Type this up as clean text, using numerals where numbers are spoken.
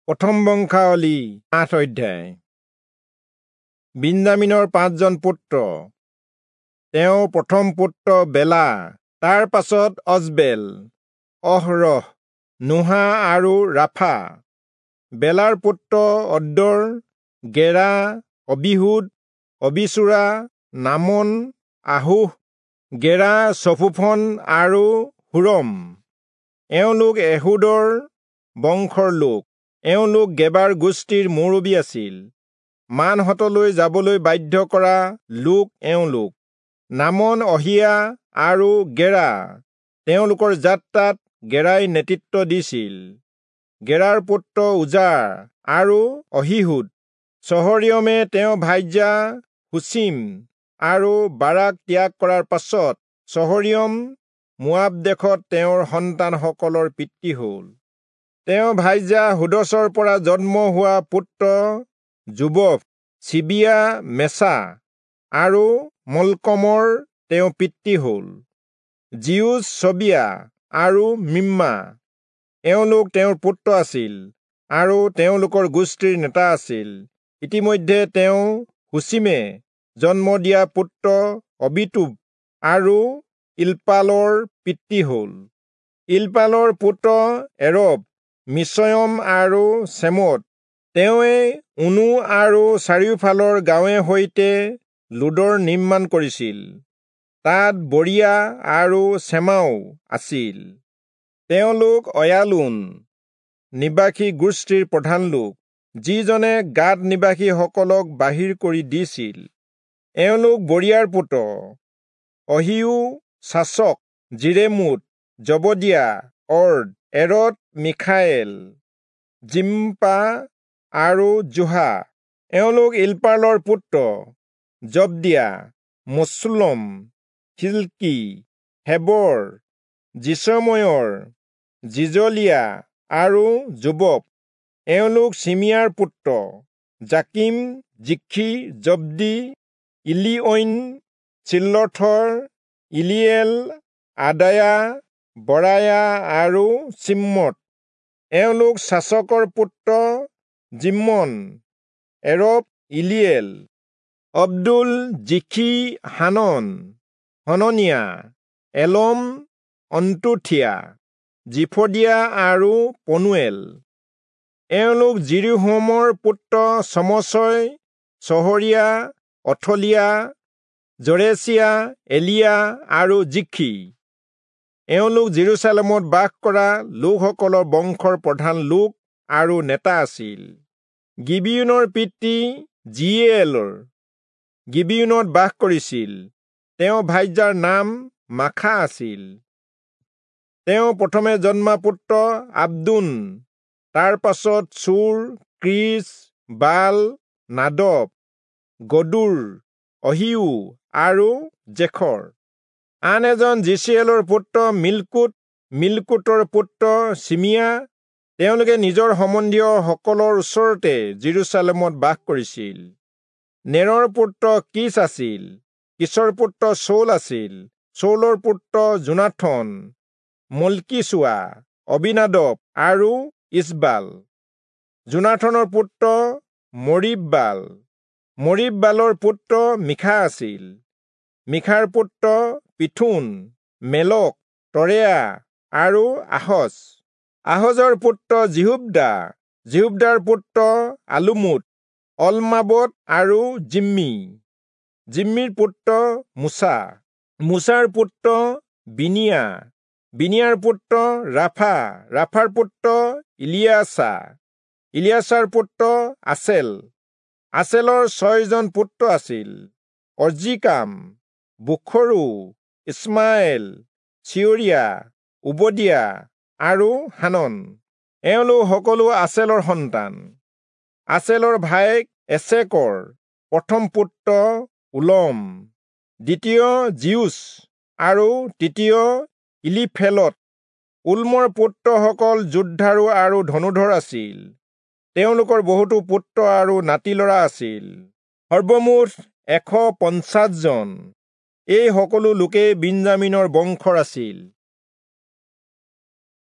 প্ৰথম বংশাৱলী ৮ অধ্যায়। বিন্যামীনৰ ৫ জন পুত্ৰ। তেওঁৰ প্ৰথম পুত্ৰ বেলা, তাৰ পাছত অজবেল, অহৰহ, নোহা আৰু ৰাফা। বেলাৰ পুত্ৰ অদ্দৰ, গেৰা, অবিহুদ, অবিচূৰা, নামন, আহোহ, গেৰা, চফুফন আৰু হুৰম। এওঁলোক এহুদৰ বংশৰ লোক। এওঁলোক গেবাৰ গোষ্ঠীৰ মুৰব্বী আছিল। মানহঁতলৈ যাবলৈ বাধ্য কৰা লোক এওঁলোক: নামন, অহিয়া আৰু গেৰা। তেওঁলোকৰ যাত্ৰাত গেৰাই নেতৃত্ব দিছিল। গেৰাৰ পুত্ৰ উজাৰ আৰু অহীহূদ। চহৰীয়মে তেওঁ ভাৰ্যা হুচীম আৰু বাৰাক ত্যাগ কৰাৰ পাছত চহৰীয়ম মোৱাব দেশত তেওঁৰ সন্তানসকলৰ পিতৃ হ'ল। তেওঁ ভাৰ্যা হোদচৰ পৰা জন্ম হোৱা পুত্ৰ যোবব, চিবিয়া, মেচা আৰু মল্কমৰ তেওঁ পিতৃ হ'ল। জিউচ, চবিয়া আৰু মিম্মা এওঁলোক তেওঁৰ পুত্ৰ আছিল আৰু তেওঁলোকৰ গোষ্ঠীৰ নেতা আছিল। ইতিমধ্যে তেওঁ হুচীমে জন্ম দিয়া পুত্ৰ অবিটূব আৰু ইল্পালৰ পিতৃ হ'ল। ইল্পালৰ পুত্ৰ এৰব, মিচয়ম আৰু চেমত। তেওঁৱে ঊনু আৰু চাৰিওফালৰ গাঁৱে সৈতে লোদৰ নিৰ্মাণ কৰিছিল। তাত বৰিয়া আৰু চেমাও আছিল। তেওঁলোক অয়ালোন নিবাসী গোষ্ঠীৰ প্ৰধান লোক, যিজনে গাদ নিবাসীসকলক বাহিৰ কৰি দিছিল। এওঁলোক বৰিয়াৰ পুত্ৰ: অহিয়ো, চাচক, যিৰেমোত, জবদিয়া, অৰ্দ, এৰদ, মিখায়েল, জিম্পা আৰু জোহা। এওঁলোক ইল্পালৰ পুত্ৰ: জবদিয়া, মচুল্লম, হিল্কী, হেবৰ, যিচময়ৰ, জিজলিয়া আৰু যোবব। এওঁলোক চিমিয়াৰ পুত্ৰ: জাকিম, জিখ্ৰী, জব্দী, ইলিঐন, চিল্লথৰ, ইলিয়েল, আদায়া, বৰায়া আৰু চিম্মত। এওঁলোক চাচকৰ পুত্ৰ জিম্মন, এৰব, ইলিয়েল, অব্দুল, জিখী, হানন, হননিয়া, এলম, অন্তুথিয়া, জিফদিয়া আৰু পনুৱেল। এওঁলোক যিৰোহমৰ পুত্ৰ চমচয়, চহৰীয়া, অথলিয়া, জৰেচিয়া, এলিয়া আৰু জিখ্ৰী। এওঁলোক যিৰূচালেমত বাস কৰা লোকসকলৰ বংশৰ প্ৰধান লোক আৰু নেতা আছিল। গিবিয়োনৰ পিতৃ যিয়েলৰ গিবিয়োনত বাস কৰিছিল। তেওঁ ভাৰ্যাৰ নাম মাখা আছিল। তেওঁ প্ৰথমে জন্মা পুত্ৰ আব্দোন, তাৰ পাছত চূৰ, ক্ৰীচ, বাল, নাদব, গদূৰ, অহিয়ো আৰু জেখৰ। আন এজন যিচিয়েলৰ পুত্ৰ মিল্কোট, মিল্কোটৰ পুত্ৰ চিমিয়া। তেওঁলোকে নিজৰ সম্বন্ধীয়সকলৰ ওচৰতে যিৰূচালেমত বাস কৰিছিল। নেৰৰ পুত্ৰ কীচ আছিল। কীচৰ পুত্ৰ চৌল আছিল। চৌলৰ পুত্ৰ যোনাথন, মল্কীচূৱা, অবিনাদব আৰু ইচবাল। যোনাথনৰ পুত্ৰ মৰিব্বাল। মৰিব্বালৰ পুত্ৰ মীখা আছিল। মীখাৰ পুত্ৰ পিথোন, মেলক, তৰেয়া আৰু আহজ। আহজৰ পুত্ৰ যিহোব্দা। যিহোব্দাৰ পুত্ৰ আলোমোট, অলমাবত আৰু জিম্মী। জিম্মীৰ পুত্ৰ মোচা। মোচাৰ পুত্ৰ বিনিয়া। বিনিয়াৰ পুত্ৰ ৰাফা। ৰাফাৰ পুত্ৰ ইলিয়াছা। ইলিয়াছাৰ পুত্ৰ আচেল। আচেলৰ ৬ জন পুত্ৰ আছিল: অজ্ৰীকাম, বোখৰু, ইছমাইল, চিয়ৰিয়া, ওবদিয়া আৰু হানন। এওঁলোক সকলো আচেলৰ সন্তান। আচেলৰ ভায়েক এচেকৰ প্ৰথম পুত্ৰ উলম, দ্বিতীয় জিউচ আৰু তৃতীয় ইলিফেলত। উল্মৰ পুত্ৰসকল যোদ্ধাৰু আৰু ধনুৰ্ধৰ আছিল। তেওঁলোকৰ বহুতো পুত্ৰ আৰু নাতিলৰা আছিল, সৰ্বমুঠ ১৫০ জন। এই সকলো লোকেই বিন্যামীনৰ বংশৰ আছিল।